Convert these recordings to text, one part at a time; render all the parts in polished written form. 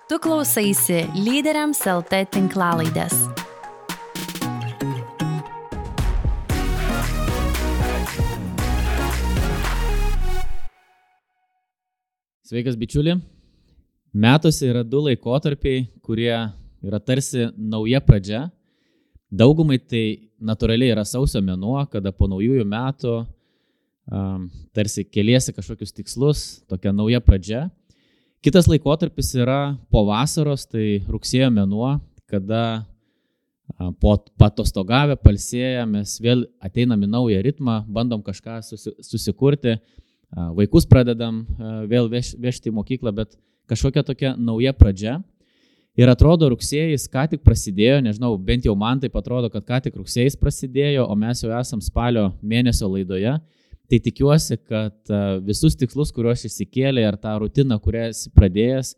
Tu klausaisi Lyderiams LT tinklalaidės. Sveikas bičiuli. Metuose yra du laikotarpiai, kurie yra tarsi nauja pradžia. Daugumai tai natūraliai yra sausio mėnuo, kada po naujųjų metų tarsi keliesi kažkokius tikslus, tokia nauja pradžia. Kitas laikotarpis yra po vasaros, tai rugsėjo mėnuo, kada po patostogavę, palsėję, mes vėl ateinam į naują ritmą, bandom kažką susikurti, vaikus pradedam vėl vežti į mokyklą, bet kažkokia tokia nauja pradžia. Ir atrodo, rugsėjais ką tik prasidėjo, nežinau, bent jau man taip atrodo, kad ką tik rugsėjais prasidėjo, o mes jau esam spalio mėnesio laidoje. Tai tikiuosi, kad visus tikslus, kuriuos išsikėlė ir tą rutiną, kurią esi pradėjęs,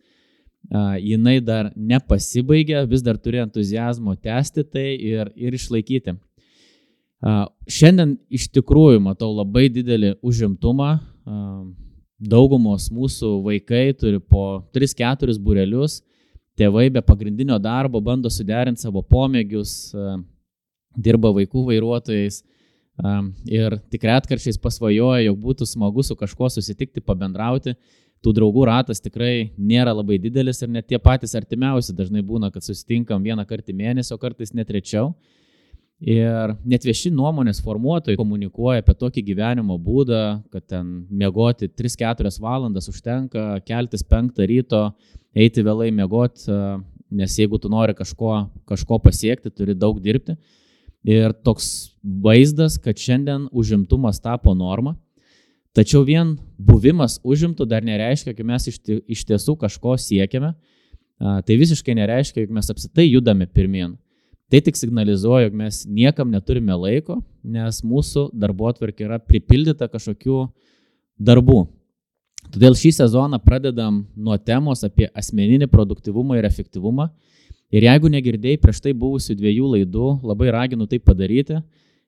jinai dar nepasibaigė, vis dar turi entuziazmo tęsti tai ir išlaikyti. Šiandien iš tikrųjų matau labai didelį užimtumą. Daugumos mūsų vaikai turi po 3-4 būrelius, tėvai be pagrindinio darbo bando suderinti savo pomėgius, dirba vaikų vairuotojais. Ir tik retkarčiais pasvajoja, jog būtų smagu su kažkuo susitikti, pabendrauti. Tų draugų ratas tikrai nėra labai didelis ir net tie patys artimiausi dažnai būna, kad susitinkam vieną kartą į mėnesį, o kartais net rečiau. Ir net vieši nuomonės formuotojai komunikuoja apie tokį gyvenimo būdą, kad ten miegoti 3-4 valandas užtenka, keltis 5 ryto, eiti vėlai miegoti, nes jeigu tu nori kažko pasiekti, turi daug dirbti. Ir toks vaizdas, kad šiandien užimtumas tapo norma, tačiau vien buvimas užimtų dar nereiškia, kad mes iš tiesų kažko siekiame. Tai visiškai nereiškia, jog mes apsitai judame pirmyn. Tai tik signalizuoja, jog mes niekam neturime laiko, nes mūsų darbotvarkė yra pripildyta kažkokių darbų. Todėl šį sezoną pradedam nuo temos apie asmeninį produktyvumą ir efektyvumą. Ir jeigu negirdėjai prieš tai buvusių 2 laidų, labai raginu tai padaryti.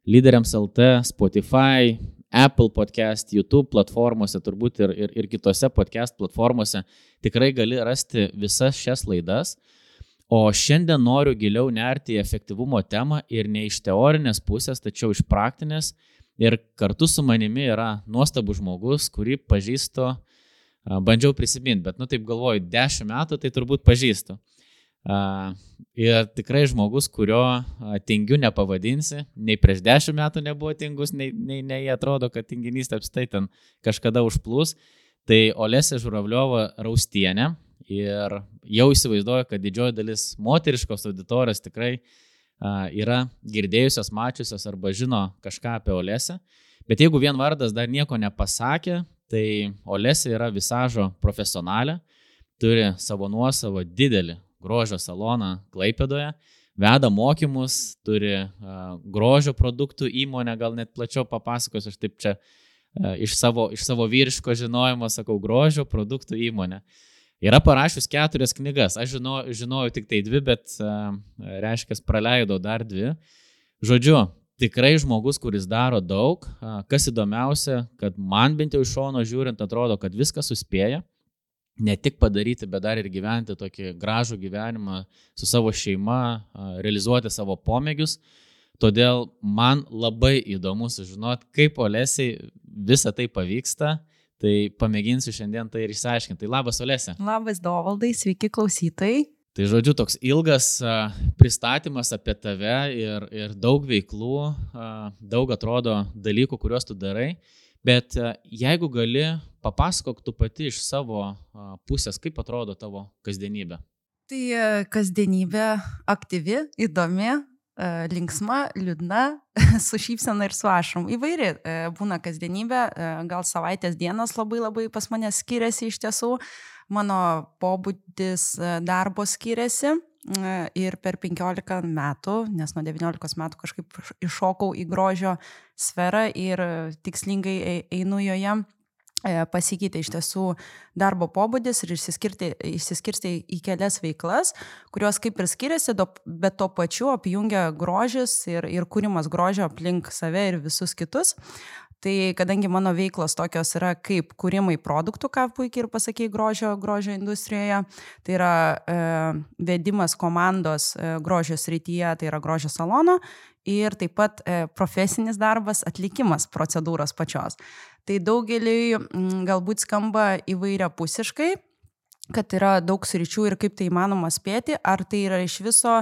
Lyderiams LT, Spotify, Apple Podcast, YouTube platformose, turbūt ir kitose podcast platformose tikrai gali rasti visas šias laidas. O šiandien noriu giliau nerti į efektyvumo temą ir ne iš teorinės pusės, tačiau iš praktinės. Ir kartu su manimi yra nuostabus žmogus, kurį pažįstu, bandžiau prisiminti, bet taip galvoju, 10 metų tai turbūt pažįstu. Ir tikrai žmogus, kurio tingiu nepavadinsi, nei prieš 10 metų nebuvo tingus, nei atrodo, kad tinginys apstai ten kažkada užplūs. Tai Olesė Žuravliova Raustienė ir jau įsivaizduoju, kad didžioji dalis moteriškos auditorijos tikrai yra girdėjusios, mačiusios arba žino kažką apie Olesę. Bet jeigu vien vardas dar nieko nepasakė, tai Olesė yra visažo profesionalė, turi savo nuosavą didelį grožio saloną Klaipėdoje, veda mokymus, turi grožio produktų įmonę, gal net plačiau papasakosiu, aš taip čia iš savo vyriško žinojimo sakau grožio produktų įmonė. Yra parašius 4 knygas, aš žinojau tik tai 2, bet reiškia, praleidau dar 2. Žodžiu, tikrai žmogus, kuris daro daug, kas įdomiausia, kad man bent jau iš šono žiūrint atrodo, kad viską suspėja. Ne tik padaryti, bet dar ir gyventi tokį gražų gyvenimą su savo šeima, realizuoti savo pomėgius. Todėl man labai įdomu sužinoti, kaip Olesiai visą tai pavyksta. Tai pamėginsiu šiandien tai ir išsiaiškinti. Tai labas, Olesė. Labas, Dovaldai, sveiki klausytojai. Tai žodžiu, toks ilgas pristatymas apie tave ir daug veiklų, daug atrodo dalykų, kuriuos tu darai. Bet jeigu gali, papasakok tu pati iš savo pusės, kaip atrodo tavo kasdienybė. Tai kasdienybė aktyvi, įdomi, linksma, liūdna, su šypsena ir su ašarom. Įvairi būna kasdienybė, gal savaitės dienos labai pas mane skiriasi iš tiesų. Mano pobūdis darbo skiriasi ir per 15 metų, nes nuo 19 metų kažkaip iššokau į grožio sferą ir tikslingai einu joje, pasikeitė iš tiesų darbo pobūdis ir išsiskirstė į kelias veiklas, kurios kaip ir skiriasi, bet to pačiu apjungia grožis ir kūrimas grožio aplink save ir visus kitus. Tai kadangi mano veiklos tokios yra kaip kūrimai produktų, ką puikiai ir pasakei grožio industrijoje, tai yra vedimas komandos grožio srityje, tai yra grožio salono ir taip pat profesinis darbas, atlikimas procedūros pačios. Tai daugeliui galbūt skamba įvairiapusiškai, kad yra daug sričių ir kaip tai įmanoma spėti, ar tai yra iš viso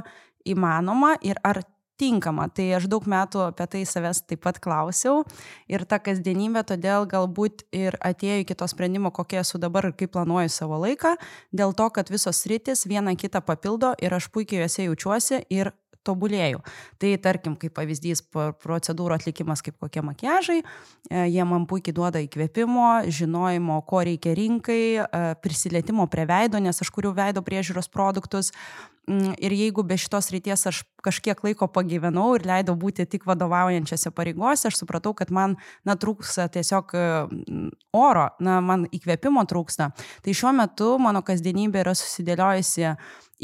įmanoma ir ar tinkama. Tai aš daug metų apie tai savęs taip pat klausiau ir ta kasdienybė todėl galbūt ir atėjo iki to sprendimo, kokie esu dabar ir kaip planuoju savo laiką, dėl to, kad visos sritis vieną kitą papildo ir aš puikiai juose jaučiuosi ir tobulėjau. Tai tarkim, kaip pavyzdys, procedūrų atlikimas kaip kokie makiažai, jie man puikiai duoda įkvėpimo, žinojimo, ko reikia rinkai, prisilietimo prie veido, nes aš kuriu veido priežiūros produktus. Ir jeigu be šitos ryties aš kažkiek laiko pagyvenau ir leidau būti tik vadovaujančiose pareigose, aš supratau, kad man trūksta tiesiog oro, man įkvėpimo trūksta. Tai šiuo metu mano kasdienybė yra susidėliojusi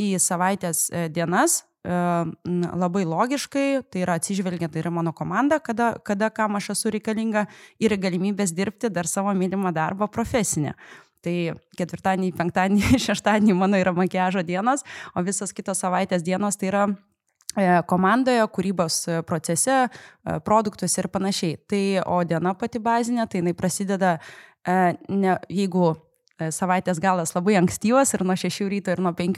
į savaitės dienas, labai logiškai, tai yra atsižvelgiant, tai yra mano komanda, kada kam aš esu reikalinga ir galimybės dirbti dar savo mylimą darbą profesinę. Tai ketvirtadienį, penktadienį, šeštadienį mano yra makiažo dienos, o visas kitos savaitės dienos tai yra komandoje, kūrybos procese, produktuose ir panašiai. Tai, o diena pati bazinė, tai jinai prasideda, jeigu savaitės galas labai ankstyvas ir nuo 6 ryto ir nuo 5,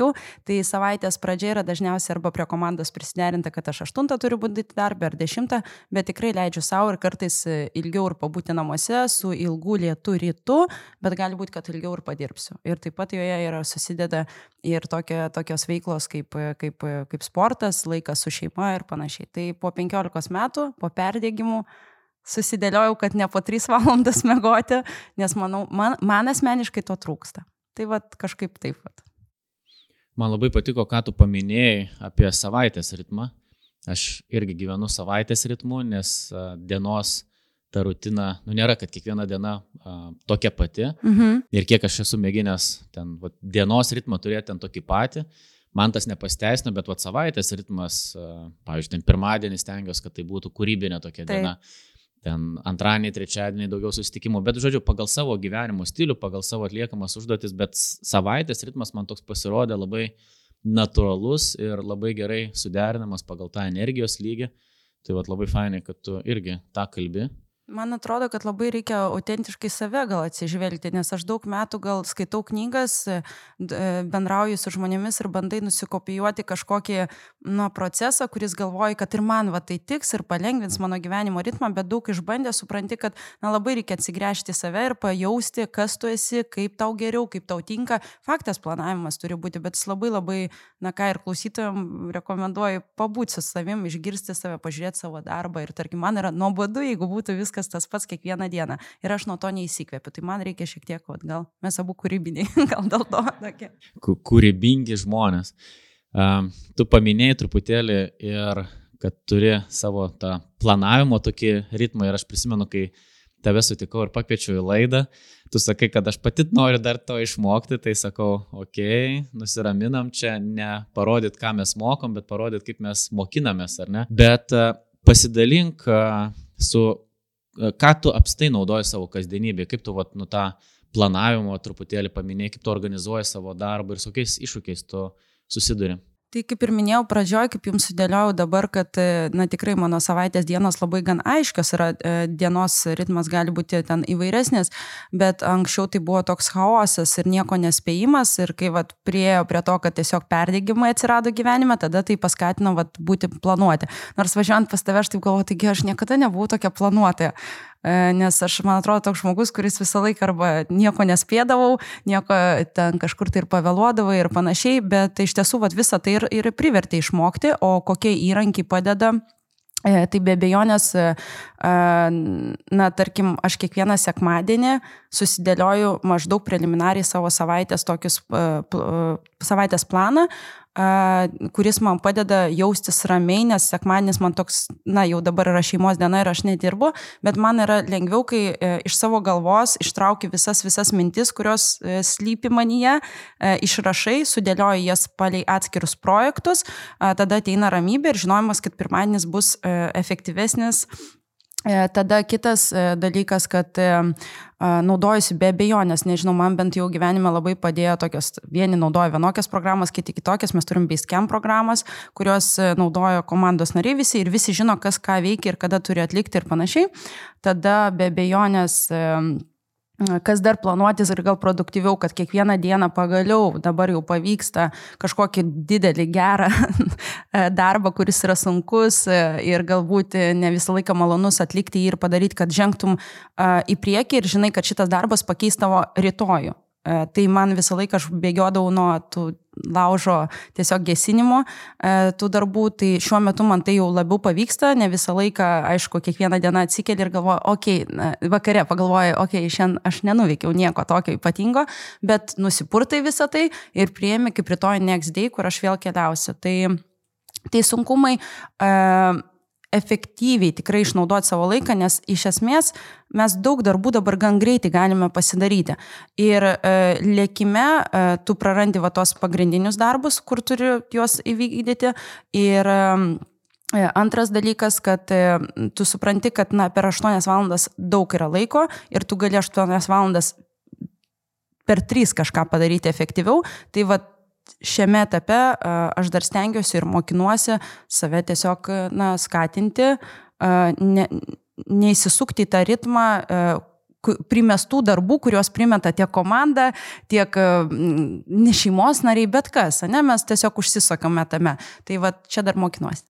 tai savaitės pradžia yra dažniausiai arba prie komandos prisiderinta, kad aš 8 turiu būti darbę ar 10, bet tikrai leidžiu savo ir kartais ilgiau ir pabūti namuose su ilgu lietu rytu, bet gali būti, kad ilgiau ir padirbsiu. Ir taip pat joje yra susideda ir tokios veiklos kaip sportas, laikas su šeima ir panašiai. Tai po 15 metų, po perdėgimų, susidėliojau, kad ne po 3 valandas miegoti, nes manau, man asmeniškai to trūksta. Tai kažkaip taip. Man labai patiko, ką tu paminėjai apie savaitės ritmą. Aš irgi gyvenu savaitės ritmu, nes dienos ta rutina, nėra, kad kiekviena diena tokia pati. Ir kiek aš esu mėginęs dienos ritmą turėti ten tokį patį, man tas nepasteisino, bet savaitės ritmas, pavyzdžiui, pirmadienį stengiuosi, kad tai būtų kūrybinė tokia diena. Ten antradienį, trečiadienį daugiau susitikimų, bet, žodžiu, pagal savo gyvenimo stilių, pagal savo atliekamas užduotis, bet savaitės ritmas man toks pasirodė labai natūralus ir labai gerai suderinamas pagal tą energijos lygį. Tai labai fainai, kad tu irgi tą kalbi. Man atrodo, kad labai reikia autentiškai save gal atsižvelgti, nes aš daug metų gal skaitau knygas, bendrauju su žmonėmis ir bandai nusikopijuoti kažkokį procesą, kuris galvoja, kad ir man tai tiks ir palengvins mano gyvenimo ritmą, bet daug išbandė, supranti, kad labai reikia atsigręžti save ir pajausti, kas tu esi, kaip tau geriau, kaip tau tinka. Faktas, planavimas turi būti, bet jis labai, ką ir klausytojams rekomenduoju, pabūti su savim, išgirsti save, pažiūrėti savo darbą ir tarkim, man yra nuobodu, jeigu būtų viskas tas pats kiekvieną dieną. Ir aš nuo to neįsikvėpiu. Tai man reikia šiek tiek, gal mes abu kūrybiniai, gal dėl to. Tokie. Kūrybingi žmonės. Tu paminėjai truputėlį ir kad turi savo tą planavimo tokį ritmą ir aš prisimenu, kai tave sutikau ir pakviečiau į laidą, tu sakai, kad aš pati noriu dar to išmokti, tai sakau, nusiraminam čia, ne parodyt, ką mes mokom, bet parodyt, kaip mes mokinamės, ar ne? Bet pasidalink ką tu apstai naudoji savo kasdienybėje, kaip tu tą planavimo truputėlį paminėjai, kaip tu organizuoji savo darbą ir su kokiais iššūkiais tu susiduri. Tai kaip ir minėjau pradžioj, kaip jums sudėliojau dabar, kad tikrai mano savaitės dienos labai gan aiškios yra, dienos ritmas gali būti ten įvairesnis, bet anksčiau tai buvo toks chaosas ir nieko nespėjimas ir kai priėjo prie to, kad tiesiog perdegimai atsirado gyvenime, tada tai paskatino būti planuoti. Nors važiuojant pas tave, aš taip galvoju, taigi aš niekada nebuvau tokia planuotoja. Nes aš, man atrodo, toks žmogus, kuris visą laiką arba nieko nespėdavau, nieko ten kažkur tai ir pavėluodavau ir panašiai, bet iš tiesų visą tai ir privertė išmokti, o kokie įrankiai padeda. Tai be abejonės, tarkim, aš kiekvieną sekmadienį susidėlioju maždaug preliminariai savo savaitės planą, kuris man padeda jaustis ramiai, nes sekmadienis man toks, jau dabar yra šeimos diena ir aš nedirbu, bet man yra lengviau, kai iš savo galvos ištraukiu visas mintis, kurios slypi manyje, išrašai, sudėlioju jas palei atskirus projektus, tada ateina ramybė ir žinojimas, kad pirmadienis bus efektyvesnis Tada kitas dalykas, kad naudojusi be abejonės, nežinau, man bent jau gyvenime labai padėjo tokios, vieni naudoja vienokias programas, kiti kitokias, mes turim Basecamp programas, kurios naudojo komandos nariai visi ir visi žino, kas ką veikia ir kada turi atlikti ir panašiai. Tada be abejonės kas dar planuotis ir gal produktyviau, kad kiekvieną dieną pagaliau dabar jau pavyksta kažkokį didelį gerą darbą, kuris yra sunkus ir galbūt ne visą laiką malonus atlikti jį ir padaryti, kad žengtum į priekį ir žinai, kad šitas darbas pakeis tavo rytojų. Tai man visą laiką aš bėgiodavau nuo tų laužo tiesiog gesinimo tų darbų, tai šiuo metu man tai jau labiau pavyksta, ne visą laiką, aišku, kiekvieną dieną atsikeli ir galvoju, vakare pagalvoju, šiandien aš nenuveikiau nieko tokio ypatingo, bet nusipurtai visą tai ir priemi kaip rytoj next day, kur aš vėl keliausiu. Tai sunkumai efektyviai tikrai išnaudoti savo laiką, nes iš esmės mes daug darbų dabar gan greitai galime pasidaryti. Ir lėkime tu prarandi tos pagrindinius darbus, kur turi juos įvykdyti. Ir antras dalykas, kad tu supranti, kad per 8 valandas daug yra laiko ir tu gali 8 valandas per 3 kažką padaryti efektyviau. Tai šiame etape aš dar stengiuosi ir mokinuosi save tiesiog skatinti, neįsisukti į tą ritmą primestų darbų, kuriuos primeta tiek komanda, tiek ne šeimos nariai, bet kas, mes tiesiog užsisakome tame. Tai čia dar mokinuosi.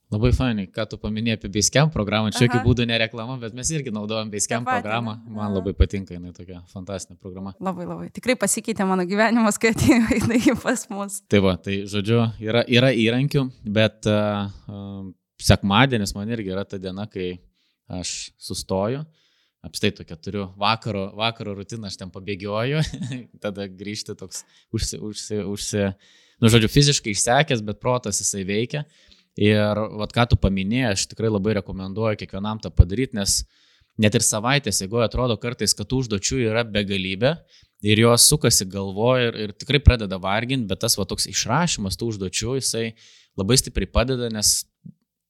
Labai fainai, ką tu paminėjai apie Basecamp programą, čia jokių būdų nereklama, bet mes irgi naudojam Basecamp programą, man labai patinka, jinai tokia fantastinė programa. Labai, tikrai pasikeitė mano gyvenimas, kai atėjo pas mus. Tai žodžiu, yra įrankių, bet sekmadienis man irgi yra ta diena, kai aš sustoju, apstai tokia turiu vakaro rutiną, aš ten pabėgioju, tada grįžti toks fiziškai išsekęs, bet protas jisai veikia. Ir ką tu paminėjai, aš tikrai labai rekomenduoju kiekvienam tą padaryti, nes net ir savaitės eigoje atrodo kartais, kad užduočių yra begalybė ir jos sukasi galvoje ir tikrai pradeda varginti, bet tas toks išrašymas tų užduočių, jisai labai stipriai padeda, nes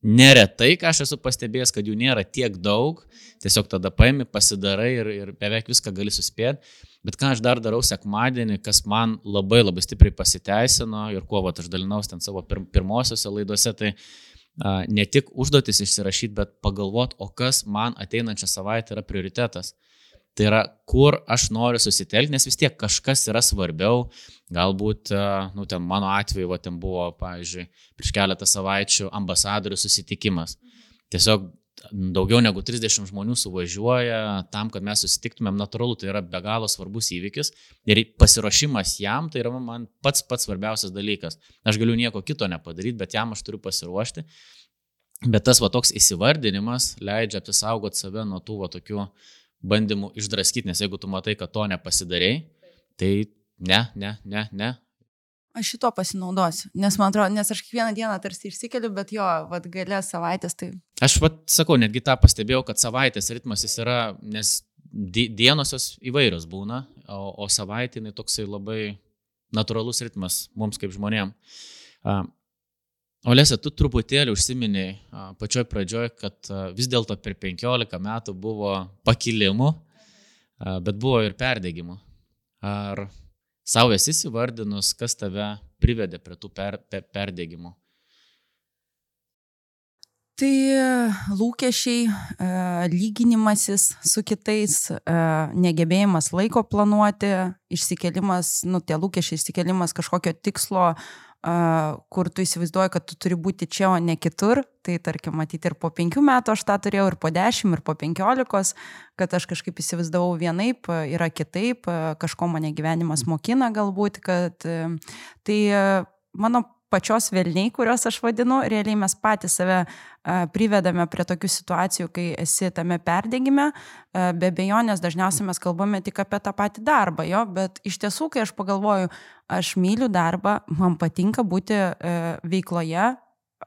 neretai, ką aš esu pastebėjęs, kad jų nėra tiek daug, tiesiog tada paimi, pasidarai ir beveik viską gali suspėti. Bet ką aš dar darau sekmadienį, kas man labai stipriai pasiteisino ir kuo aš dalinausi ten savo pirmosiuose laidose, tai ne tik užduotis išsirašyti, bet pagalvoti, o kas man ateinančią savaitę yra prioritetas. Tai yra, kur aš noriu susitelkti, nes vis tiek kažkas yra svarbiau. Galbūt, ten mano atveju, ten buvo, pavyzdžiui, prieš keletą savaičių ambasadorių susitikimas. Tiesiog daugiau negu 30 žmonių suvažiuoja tam, kad mes susitiktumėm, natūralu, tai yra be galo svarbus įvykis ir pasiruošimas jam tai yra man pats svarbiausias dalykas. Aš galiu nieko kito nepadaryti, bet jam aš turiu pasiruošti. Bet tas toks įsivardinimas leidžia apsisaugoti save nuo tų tokių bandymų išdraskyti, nes jeigu tu matai, kad to nepasidarei, tai ne. Aš šito pasinaudosiu, nes man atrodo, nes aš kiekvieną dieną tarsi išsikeliu, bet gale savaitės tai... Aš sakau, netgi tą pastebėjau, kad savaitės ritmas jis yra, nes dienos jos įvairios būna, o savaitinai toksai labai natūralus ritmas mums kaip žmonėm. Olesa, tu truputėlį užsiminėjai pačioj pradžioj, kad vis dėlto per 15 metų buvo pakilimų, bet buvo ir perdegimų. Ar savo esi įvardinus, kas tave privedė prie tų perdegimų? Tai lūkesčiai, lyginimasis su kitais, negebėjimas laiko planuoti, išsikelimas, tie lūkesčiai išsikelimas kažkokio tikslo, kur tu įsivaizduoji, kad tu turi būti čia, o ne kitur. Tai tarkim, matyti ir po 5 metų aš tą turėjau, ir po 10, ir po 15, kad aš kažkaip įsivaizdavau vienaip, yra kitaip, kažko mane gyvenimas mokina galbūt, kad tai mano pačios velniai, kurios aš vadinu, realiai mes patys save privedame prie tokių situacijų, kai esi tame perdegime. Be abejonės dažniausiai mes kalbame tik apie tą patį darbą, bet iš tiesų, kai aš pagalvoju, aš myliu darbą, man patinka būti veikloje,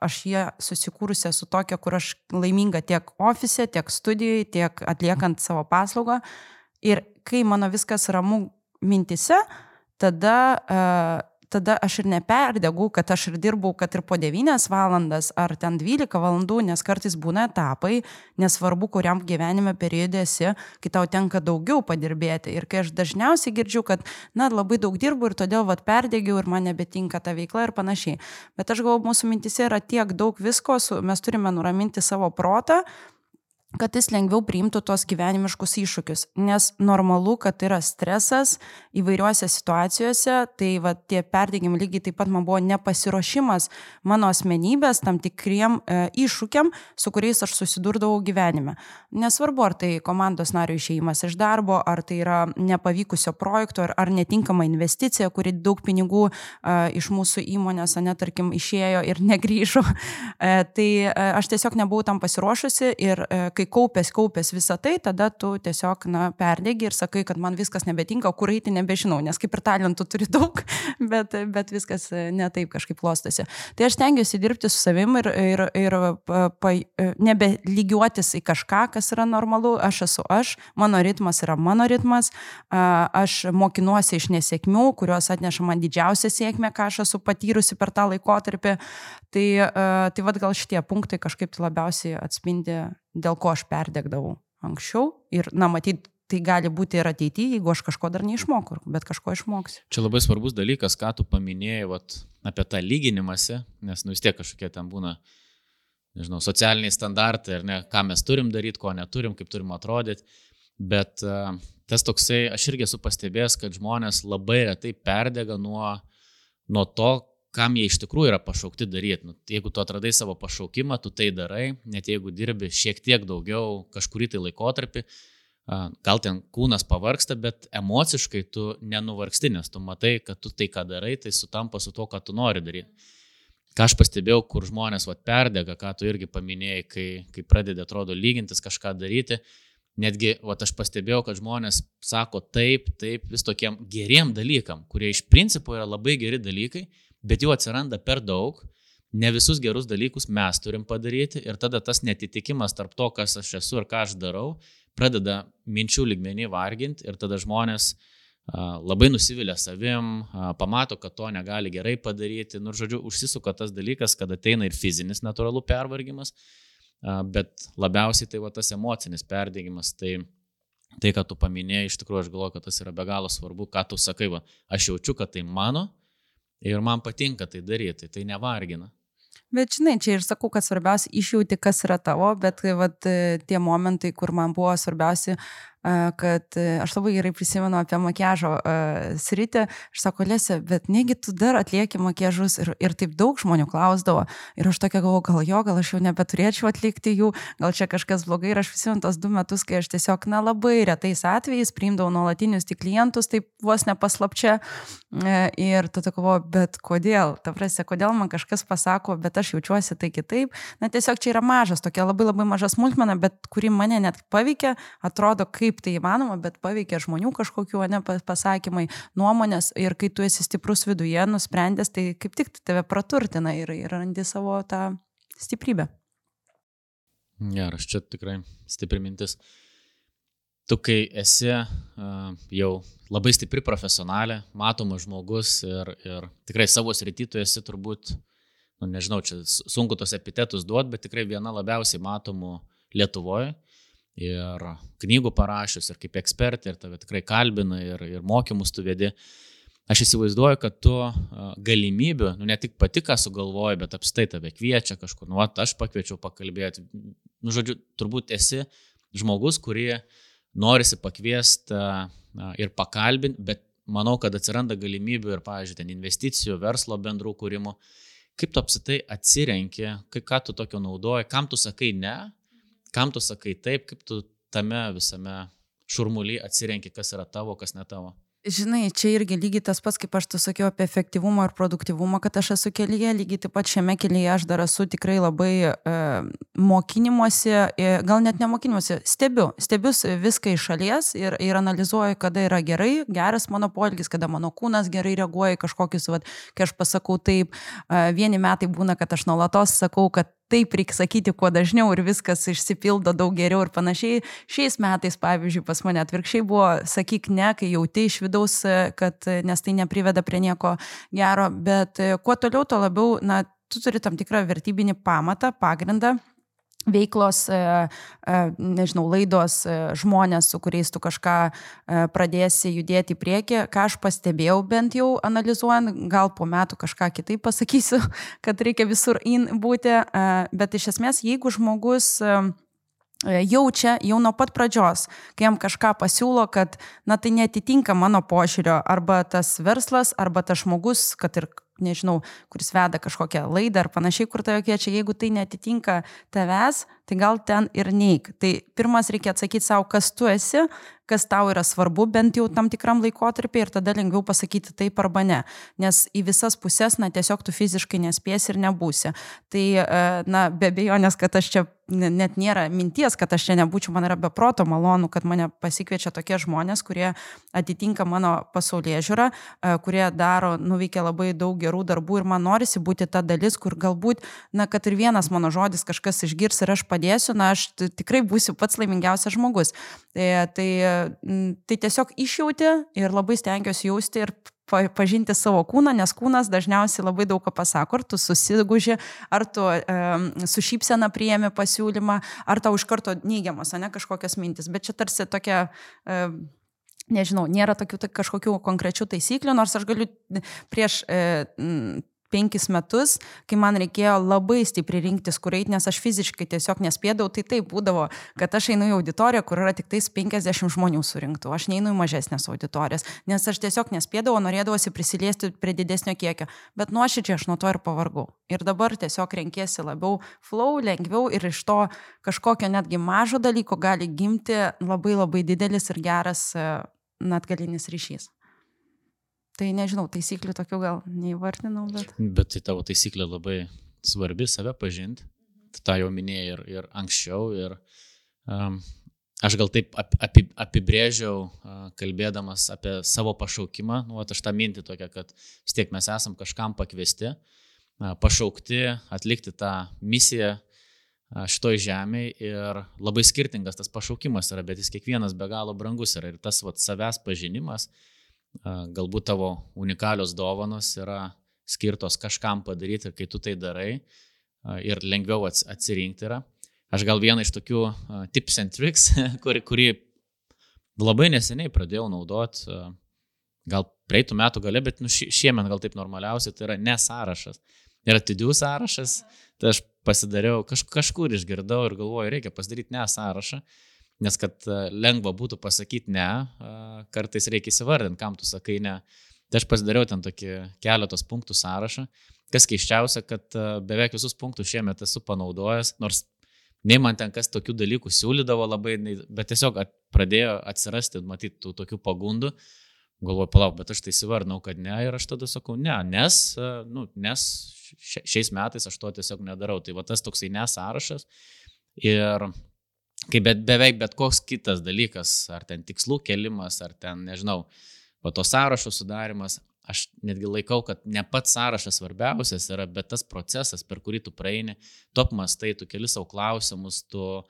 aš jie susikūrusi su tokia, kur aš laiminga tiek ofise, tiek studijoje, tiek atliekant savo paslaugą. Ir kai mano viskas ramu mintise, tada tada aš ir neperdegu, kad aš ir dirbau, kad ir po 9 valandas ar ten 12 valandų, nes kartais būna etapai, nesvarbu, kuriam gyvenime periode esi, kai tau tenka daugiau padirbėti. Ir kai aš dažniausiai girdžiu, kad, labai daug dirbu ir todėl perdegiau ir man nebetinka ta veikla ir panašiai. Bet aš galvoju, mūsų mintise yra tiek daug visko, mes turime nuraminti savo protą, kad jis lengviau priimtų tos gyvenimiškus iššūkius. Nes normalu, kad yra stresas įvairiuose situacijose, tai tie perdegimai lygiai taip pat man buvo nepasiruošimas mano asmenybės tam tikriem iššūkiam, su kuriais aš susidurdavau gyvenime. Nesvarbu, ar tai komandos nario išėjimas iš darbo, ar tai yra nepavykusio projekto, ar netinkama investicija, kuri daug pinigų iš mūsų įmonės, tarkim, išėjo ir negrįžo. Tai aš tiesiog nebuvau tam pasiruošusi ir kai kaupės visą tai, tada tu tiesiog perdegi ir sakai, kad man viskas nebetinka, kur eiti nebežinau, nes kaip ir talentų turi daug, bet viskas ne taip kažkaip klostosi. Tai aš stengiuosi dirbti su savim ir nebelygiuotis į kažką, kas yra normalu, aš esu aš, mano ritmas yra mano ritmas, aš mokinuosi iš nesėkmių, kurios atneša man didžiausią sėkmę, ką aš esu patyrusi per tą laikotarpį. Tai gal šitie punktai kažkaip labiausiai atspindi, dėl ko aš perdegdavau anksčiau ir, matyt, tai gali būti ir ateityje, jeigu aš kažko dar neišmokau, bet kažko išmoksiu. Čia labai svarbus dalykas, ką tu paminėjai apie tą lyginimąsi, nes vis tiek kažkokie ten būna, nežinau, socialiniai standartai, ar ne, ką mes turim daryti, ko neturim, kaip turim atrodyti, bet tas toksai, aš irgi esu pastebėjęs, kad žmonės labai retai perdega nuo to, kam jie iš tikrųjų yra pašaukti daryti. Jeigu tu atradai savo pašaukimą, tu tai darai, net jeigu dirbi šiek tiek daugiau kažkurį tai laikotarpį, gal ten kūnas pavargsta, bet emociškai tu nenuvargsti, nes tu matai, kad tu tai, ką darai, tai sutampa su to, ką tu nori daryti. Ką aš pastebėjau, kur žmonės perdega, ką tu irgi paminėjai, kai pradedi, atrodo, lygintis kažką daryti, netgi aš pastebėjau, kad žmonės sako taip vis tokiem geriem dalykam, kurie iš principo yra labai geri dalykai, bet jų atsiranda per daug, ne visus gerus dalykus mes turim padaryti ir tada tas netitikimas tarp to, kas aš esu ir ką aš darau, pradeda minčių lygmenį varginti ir tada žmonės labai nusivilia savim, pamato, kad to negali gerai padaryti, žodžiu, užsisuka tas dalykas, kad ateina ir fizinis natūralų pervargimas, bet labiausiai tai tas emocinis perdegimas, tai ką tu paminėjai, iš tikrųjų aš galvoju, kad tas yra be galo svarbu, ką tu sakai, aš jaučiu, kad tai mano, ir man patinka tai daryti, tai nevargina. Bet žinai, čia ir sakau, kad svarbiausia išjauti, kas yra tavo, bet tie momentai, kur man buvo svarbiausia, kad aš labai gerai prisimenu apie makiažo sritį, aš sako, Lesė, bet negi tu dar atlieki makiažus ir taip daug žmonių klausdavo ir aš tokia galvoju, gal aš jau nebeturėčiau atlikti jų, gal čia kažkas blogai ir aš prisimenu tos 2 metus, kai aš tiesiog labai retais atvejais priimdavau nuolatinius tik klientus, taip vos nepaslapčia ir tada galvoju, bet kodėl, kodėl man kažkas pasako, bet aš jaučiuosi tai kitaip, tiesiog čia yra mažas, tokia labai labai maža smulkmena, bet kuri mane net paveikia, atrodo, kaip tai įmanoma, bet paveikia žmonių kažkokių pasakymai, nuomonės ir kai tu esi stiprus viduje, nusprendęs, tai kaip tik tave praturtina ir randi savo tą stiprybę. Geras, čia tikrai stipri mintis. Tu, kai esi jau labai stipri profesionalė, matomas žmogus ir tikrai savo srity tu esi turbūt, nežinau, čia sunku tos epitetus duoti, bet tikrai viena labiausiai matomų Lietuvoje. Ir knygų parašius, ir kaip ekspertė, ir tave tikrai kalbina, ir mokymus tu vedi. Aš įsivaizduoju, kad tu galimybių, ne tik pati ką sugalvoji, bet apstai tave kviečia kažkur. Aš pakviečiau pakalbėti. Žodžiu, turbūt esi žmogus, kurį norisi pakviesti ir pakalbinti, bet manau, kad atsiranda galimybių ir, pavyzdžiui, ten investicijų, verslo bendrų kūrimų. Kaip tu apsitai atsirenki, ką tu tokio naudoji, kam tu sakai ne? Kam tu sakai taip, kaip tu tame visame šurmuly atsirenki, kas yra tavo, kas ne tavo? Žinai, čia irgi lygiai tas pats, kaip aš tu sakiau apie efektyvumą ir produktyvumą, kad aš esu kelyje, lygiai taip pat šiame kelyje aš dar esu tikrai labai mokinimuose, gal net nemokinimuose, stebiu viską iš šalies ir analizuoju, kada yra geras mano poelgis, kada mano kūnas gerai reaguoja į kažkokius, kai aš pasakau taip, vieni metai būna, kad aš nuolatos sakau, kad taip reikia sakyti kuo dažniau ir viskas išsipildo daug geriau ir panašiai. Šiais metais, pavyzdžiui, pas mane atvirkščiai buvo, sakyk ne, kai jauti iš vidaus, kad nes tai nepriveda prie nieko gero, bet kuo toliau, to labiau, na, tu turi tam tikrą vertybinį pamatą, pagrindą. Veiklos, nežinau, laidos, žmonės, su kuriais tu kažką pradėsi judėti į priekį, ką aš pastebėjau bent jau analizuojant, gal po metų kažką kitaip pasakysiu, kad reikia visur būti, bet iš esmės, jeigu žmogus jaučia jau nuo pat pradžios, kai jam kažką pasiūlo, kad, na, tai netitinka mano požiūrio, arba tas verslas, arba tas žmogus, kad ir nežinau, kuris veda kažkokią laidą ar panašiai, kur tave kviečia, jeigu tai netitinka tavęs, tai gal ten ir neik. Tai pirmas reikia atsakyti savo, kas tu esi, kas tau yra svarbu, bent jau tam tikram laikotarpiai ir tada lengviau pasakyti taip arba ne. Nes į visas pusės, na, tiesiog tu fiziškai nespėsi ir nebūsi. Tai, na, be abejonės, kad aš čia net nėra minties, kad aš čia nebūčiau, man yra beproto malonu, kad mane pasikviečia tokie žmonės, kurie atitinka mano pasaulėžiūrą, kurie nuveikia labai daug gerų darbų ir man norisi būti ta dalis, kur galbūt, na, kad ir vienas mano žodis kažkas išgirs ir aš padėsiu, na, aš tikrai būsiu pats laimingiausias žmogus. Tai tiesiog išjauti ir labai stengiuosi jausti ir pažinti savo kūną, nes kūnas dažniausiai labai daug ką pasako, ar tu susiguži, ar tu su šypsena priėmi pasiūlymą, ar tau iš karto neigiamas, ne, kažkokios mintis. Bet čia tarsi tokia, nežinau, nėra tokių kažkokių konkrečių taisyklių, nors aš galiu prieš 5 metus, kai man reikėjo labai stipriai rinktis, kur eiti, nes aš fiziškai tiesiog nespėdavau, tai taip būdavo, kad aš einu į auditoriją, kur yra tik tais 50 žmonių surinktų, aš neinu į mažesnės auditorijas, nes aš tiesiog nespėdavau, norėdavosi prisiliesti prie didesnio kiekio, bet nuoširdžiai aš nuo to ir pavargau. Ir dabar tiesiog renkiesi labiau flow, lengviau ir iš to kažkokio netgi mažo dalyko gali gimti labai labai didelis ir geras atgalinis ryšys. Tai nežinau, taisyklių tokių gal neįvardinau, bet... Bet tai tavo taisyklė labai svarbi, save pažinti. Ta jau minėjai ir anksčiau. Ir aš gal taip apibrėžiau, kalbėdamas apie savo pašaukimą. Nu, aš tą mintį tokia, kad vis tiek mes esam kažkam pakviesti, pašaukti, atlikti tą misiją šitoj žemėje. Ir labai skirtingas tas pašaukimas yra, bet jis kiekvienas be galo brangus yra. Ir tas savęs pažinimas, galbūt tavo unikalios dovanos yra skirtos kažkam padaryti ir kai tu tai darai ir lengviau atsirinkti yra. Aš gal vieną iš tokių tips and tricks, kurį labai neseniai pradėjau naudoti, gal praeitų metų gale, bet šiemet gal taip normaliausiai, tai yra ne sąrašas. Ir atidžių sąrašas, tai aš pasidariau, kažkur išgirdau ir galvoju, reikia pasidaryti ne sąrašą. Nes kad lengva būtų pasakyti ne, kartais reikia įsivardinti, kam tu sakai ne. Tai aš pasidariau ten tokį keletos punktų sąrašą. Kas keisčiausia, kad beveik visus punktus šiemet esu panaudojęs, nors nei man ten kas tokių dalykų siūlydavo labai, bet tiesiog pradėjo atsirasti, matyti, tų tokių pagundų. Galvoju, palauk, bet aš tai įsivardinau, kad ne ir aš tada sakau ne, nes šiais metais aš to tiesiog nedarau. Tai va tas toksai ne sąrašas ir... Kaip beveik bet koks kitas dalykas, ar ten tikslų kelimas, ar ten, nežinau, va to sąrašo sudarimas, aš netgi laikau, kad ne pats sąrašas svarbiausias yra, bet tas procesas, per kurį tu praeini, tu apmąstai, tu keli savo klausimus, tu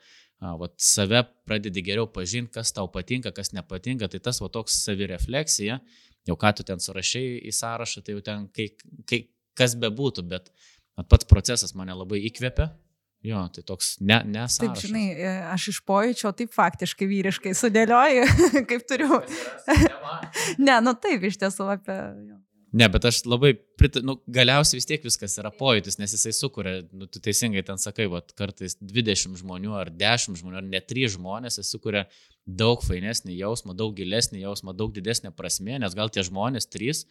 save pradedi geriau pažinti, kas tau patinka, kas nepatinka, tai tas va toks savirefleksija, jau ką tu ten surašai į sąrašą, tai jau ten kas bebūtų, bet pats procesas mane labai įkvepia. Jo, tai toks ne sąrašas. Taip, žinai, aš iš pojūčio taip faktiškai vyriškai sudėlioju, kaip turiu. Ne, nu taip, iš tiesų apie... Ne, bet aš labai, galiausiai vis tiek viskas yra pojūtis, nes jisai sukuria, tu teisingai ten sakai, kartais 20 žmonių ar 10 žmonių, ar net 3 žmonės, jis sukuria daug fainesnį jausmą, daug gilesnį jausmą, daug didesnę prasmę, nes gal tie žmonės 3,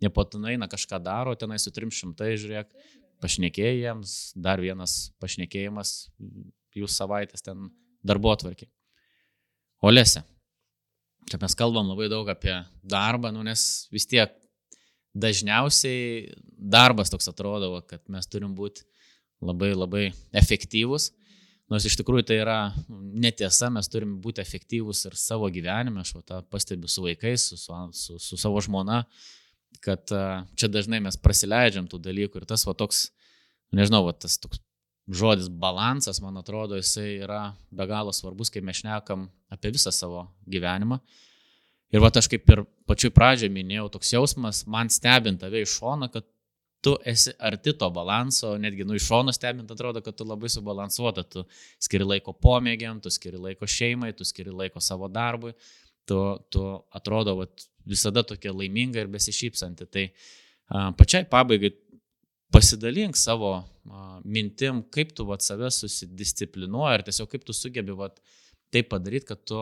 jie patinai kažką daro, tenai su 300, žiūrėk, pašnekėjai jiems, dar vienas pašnekėjimas, jūs savaitės ten darbotvarkiai. Olese, čia mes kalbam labai daug apie darbą, nes vis tiek dažniausiai darbas toks atrodo, kad mes turim būti labai labai efektyvūs, nors iš tikrųjų tai yra netiesa, mes turim būti efektyvūs ir savo gyvenime, aš tą pastebiu su vaikais, su savo žmona, kad čia dažnai mes prasileidžiam tų dalykų ir tas va toks, nežinau, va tas toks žodis balansas, man atrodo, jisai yra be galo svarbus, kai mes šnekam apie visą savo gyvenimą. Ir aš kaip ir pačioj pradžioje minėjau, toks jausmas, man stebint tave iš šono, kad tu esi arti to balanso, netgi iš šono stebint atrodo, kad tu labai subalansuota, tu skiri laiko pomėgiam, tu skiri laiko šeimai, tu skiri laiko savo darbui, tu atrodo visada tokia laiminga ir besišypsanti. Tai pačiai pabaigai pasidalink savo mintim, kaip tu save susidisciplinuoji ir tiesiog kaip tu sugebi taip padaryti, kad tu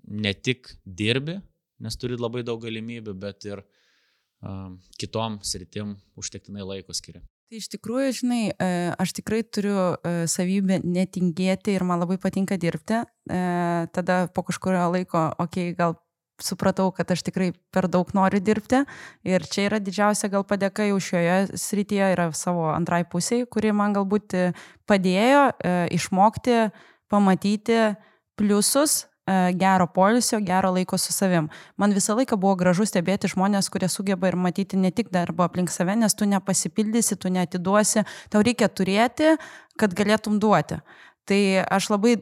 ne tik dirbi, nes turi labai daug galimybių, bet ir kitom sritim užtektinai laiko skiri. Tai iš tikrųjų, žinai, aš tikrai turiu savybę netingėti ir man labai patinka dirbti. Tada po kažkurio laiko, gal supratau, kad aš tikrai per daug noriu dirbti ir čia yra didžiausia gal padėka jau šioje srityje yra savo antrai pusiai, kuri man galbūt padėjo išmokti, pamatyti pliusus gero poilsio, gero laiko su savim. Man visą laiką buvo gražu stebėti žmonės, kurie sugeba ir matyti ne tik darbą aplink save, nes tu nepasipildysi, tu neatiduosi, tau reikia turėti, kad galėtum duoti. Tai aš labai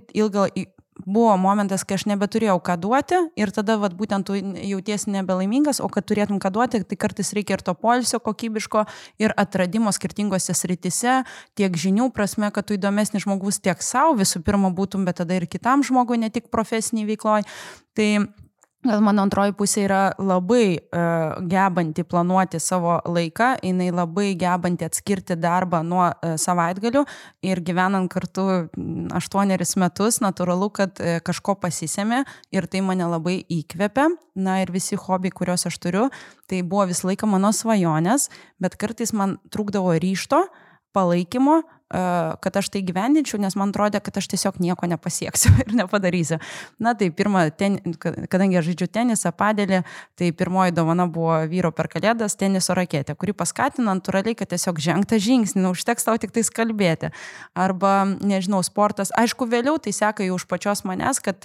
buvo momentas, kai aš nebeturėjau ką duoti ir tada būtent tu jautiesi nebelaimingas, o kad turėtum ką duoti, tai kartais reikia ir to poilsio kokybiško ir atradimo skirtingose srityse, tiek žinių prasme, kad tu įdomesnis žmogus tiek savo visų pirma būtum, bet tada ir kitam žmogui, ne tik profesiniai veikloj. Tai gal mano antroji pusė yra labai gebanti planuoti savo laiką, jinai labai gebanti atskirti darbą nuo savaitgalių ir gyvenant kartu 8 metus, natūralu, kad kažko pasisėmė ir tai mane labai įkvepia. Na ir visi hobiai, kuriuos aš turiu, tai buvo visą laiką mano svajonės, bet kartais man trūkdavo ryžto, palaikymo, kad aš tai gyvendinčiau, nes man atrodė, kad aš tiesiog nieko nepasieksiu ir nepadarysiu. Na tai kadangi aš žaidžiu tenisą, padelį, tai pirmoji dovana buvo vyro per kalėdas teniso raketė, kuri paskatina natūraliai, kad tiesiog žengta žingsnį, užteks tau tik tais kalbėti. Arba, nežinau, sportas. Aišku, vėliau tai seka jau už pačios manęs, kad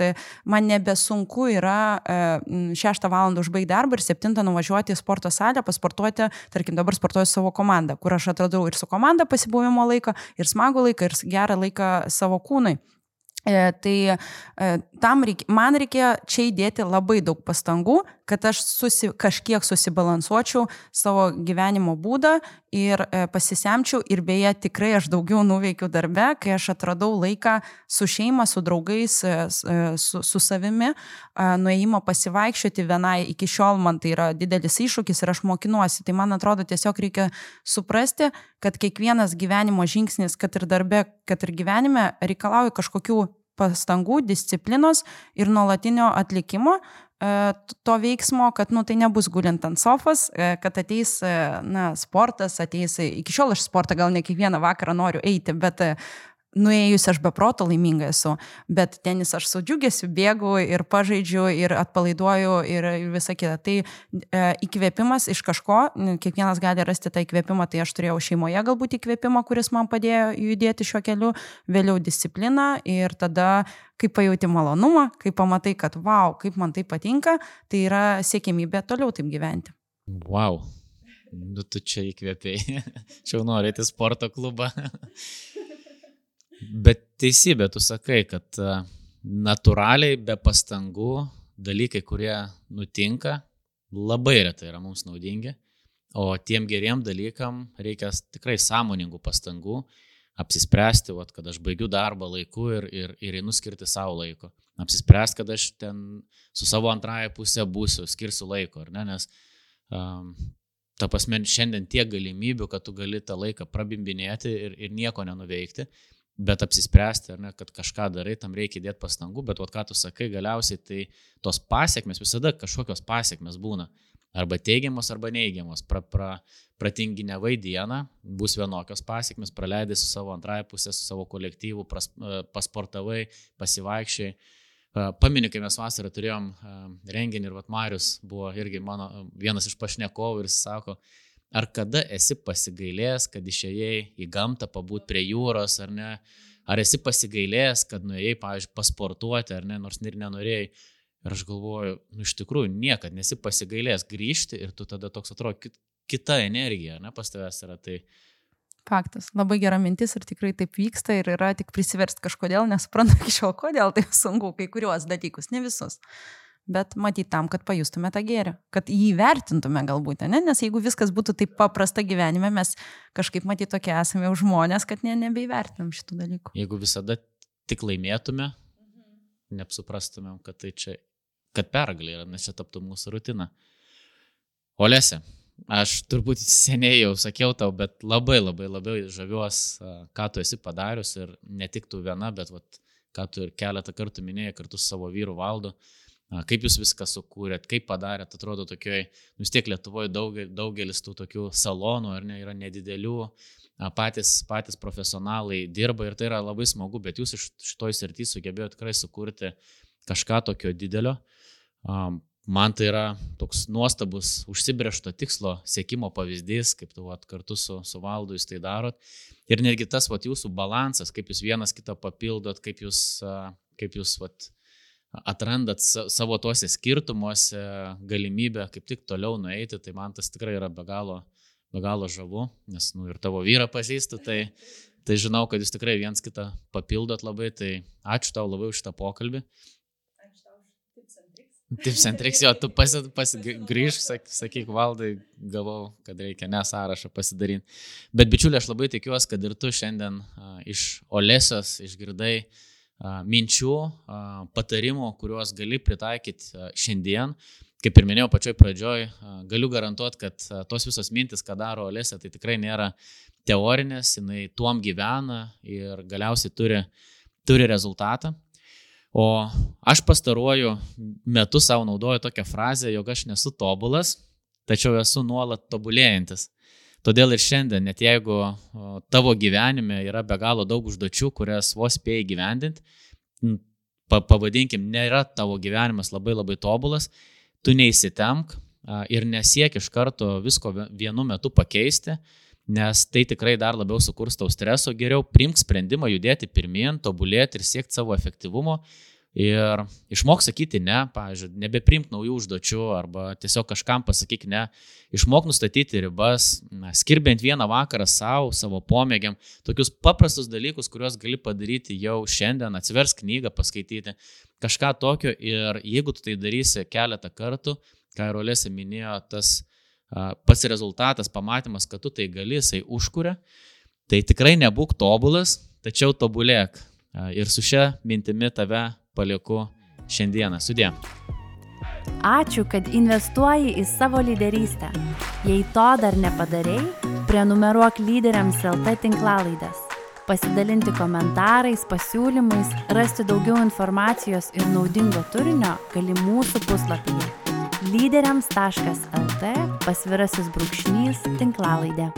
man nebesunku yra 6 valandą užbaigti darbą ir 7 nuvažiuoti į sporto salę, pasportuoti, tarkim, dabar sportuoju savo komandą, kur aš atradau ir su komanda pasibuvimo laiką, ir smagų laiką, ir gerą laiką savo kūnui. Tai man reikėjo čia įdėti labai daug pastangų, kad aš kažkiek susibalansuočiau savo gyvenimo būdą ir pasisemčiau ir beje tikrai aš daugiau nuveikiu darbe, kai aš atradau laiką su šeima, su draugais, su savimi, nuėjimo pasivaikščioti vienai, iki šiol man tai yra didelis iššūkis ir aš mokinuosi, tai man atrodo tiesiog reikia suprasti, kad kiekvienas gyvenimo žingsnis, kad ir darbe, kad ir gyvenime reikalauja kažkokių pastangų, disciplinos ir nuolatinio atlikimo to veiksmo, kad tai nebus gulint ant sofos, kad ateis sportas, iki šiol aš sportą gal ne kiekvieną vakarą noriu eiti, bet nuėjus aš be proto laiminga esu, bet tenis aš su džiugesiu bėgu ir pažaidžiu ir atpalaiduoju ir visa kita. Tai įkvėpimas iš kažko, kiekvienas gali rasti tą įkvėpimą, tai aš turėjau šeimoje galbūt įkvėpimą, kuris man padėjo judėti šiuo keliu, vėliau discipliną ir tada, kai pajauti malonumą, kai pamatai, kad wow, kaip man tai patinka, tai yra siekimybė toliau taip gyventi. Wow, tu čia įkvėpėjai. Čia jau nori eiti į sporto klubą. Bet teisybė, tu sakai, kad natūraliai be pastangų dalykai, kurie nutinka, labai retai yra mums naudingi, o tiem geriem dalykam reikia tikrai sąmoningų pastangų apsispręsti, kad aš baigiu darbą laiku ir einu skirti savo laiko. Apsispręsti, kad aš ten su savo antrąją pusę būsiu, skirsiu laiko, ar ne, nes ta prasme šiandien tiek galimybių, kad tu gali tą laiką prabimbinėti ir nieko nenuveikti. Bet apsispręsti, ar ne, kad kažką darai, tam reikia įdėti pastangų, bet ką tu sakai, galiausiai tai tos pasiekmes, visada kažkokios pasiekmes būna. Arba teigiamos, arba neigiamos. Pratinginiavai dieną, bus vienokios pasiekmes, praleidai su savo antrąją pusę, su savo kolektyvu, pasportavai, pasivaikščiai. Paminiu, kai mes vasarą turėjom renginį ir Marius buvo irgi mano vienas iš pašnekovų ir jis sako, ar kada esi pasigailėjęs, kad išėjai į gamtą pabūt prie jūros, ar ne? Ar esi pasigailėjęs, kad nuėjai, pavyzdžiui, pasportuoti, ar ne, nors ir nenorėjai? Ir aš galvoju, iš tikrųjų, niekad nesi pasigailėjęs grįžti ir tu tada toks atrodo kita energija, ne, pas tavęs yra. Tai Faktas. Labai gera mintis ir tikrai taip vyksta ir yra tik prisiversti kažkodėl, nesuprantu iki šiol, kodėl tai sunku kai kuriuos dalykus, ne visus. Bet matyti tam, kad pajustume tą gėrį, kad jį vertintume galbūt, ne? Nes jeigu viskas būtų taip paprasta gyvenime, mes kažkaip matyti tokie esame jau žmonės, kad nebeįvertinam šitų dalykų. Jeigu visada tik laimėtume, neapsuprastumėm, kad tai čia, kad pergalė yra, nes čia taptų mūsų rutina. Olese, aš turbūt seniai jau sakiau tau, bet labai žaviuos, ką tu esi padarius ir ne tik tu viena, bet ką tu ir keletą kartų minėjai kartu su savo vyru Valdu, kaip jūs viską sukūrėt, kaip padarėt, atrodo tokioj, vis tiek Lietuvoje daugelis tų tokių salonų, ar ne, yra nedidelių, patys profesionalai dirba ir tai yra labai smagu, bet jūs iš šitoj srity sugebėjote tikrai sukurti kažką tokio didelio. Man tai yra toks nuostabus užsibrėžto tikslo siekimo pavyzdys, kaip tu kartu su Valdu jūs tai darot. Ir netgi tas jūsų balansas, kaip jūs vienas kitą papildot, kaip jūs atrandat savo tuose skirtumuose galimybę kaip tik toliau nueiti, tai man tas tikrai yra be galo žavu, nes ir tavo vyrą pažįstu, tai žinau, kad jūs tikrai viens kitą papildot labai, tai ačiū tau labai už šitą pokalbį. Tips and tricks, jo, tu grįžk, sakyk Valdai, gavau, kad reikia sąrašą pasidaryti. Bet bičiuli, aš labai tikiuosi, kad ir tu šiandien iš Olesios išgirdai minčių, patarimų, kuriuos gali pritaikyti šiandien. Kaip ir minėjau pačioj pradžioj, galiu garantuoti, kad tos visos mintis, ką daro Olesė, tai tikrai nėra teorinės, jinai tuom gyvena ir galiausiai turi rezultatą. O aš pastaruoju metu savo naudoju tokią frazę, jog aš nesu tobulas, tačiau esu nuolat tobulėjantis. Todėl ir šiandien, net jeigu tavo gyvenime yra be galo daug užduočių, kurias vos spėjai gyvendinti, pavadinkim, nėra tavo gyvenimas labai tobulas, tu neįsitemk ir nesiek iš karto visko vienu metu pakeisti, nes tai tikrai dar labiau sukurs tau streso, geriau priimk sprendimą judėti pirmyn, tobulėti ir siekti savo efektyvumo ir išmok sakyti ne, pavyzdžiui, nebepriimk naujų užduočių arba tiesiog kažkam pasakyk ne, išmok nustatyti ribas, skirk bent vieną vakarą savo pomėgiam, tokius paprastus dalykus, kuriuos gali padaryti jau šiandien, atsiversk knygą, paskaityti kažką tokio ir jeigu tu tai darysi keletą kartų, ką ir Olesė minėjo, tas pats rezultatas, pamatymas, kad tu tai gali, jisai užkuria, tai tikrai nebūk tobulas, tačiau tobulėk. Ir su šia mintimi tave palieku šiandieną. Sudie. Ačiū, kad investuoji į savo lyderystę. Jei to dar nepadarei, prenumeruok Lyderiams LT tinklalaides. Pasidalinti komentarais, pasiūlymais, rasti daugiau informacijos ir naudingo turinio gali mūsų puslapyje lyderiams.lt /tinklalaidė.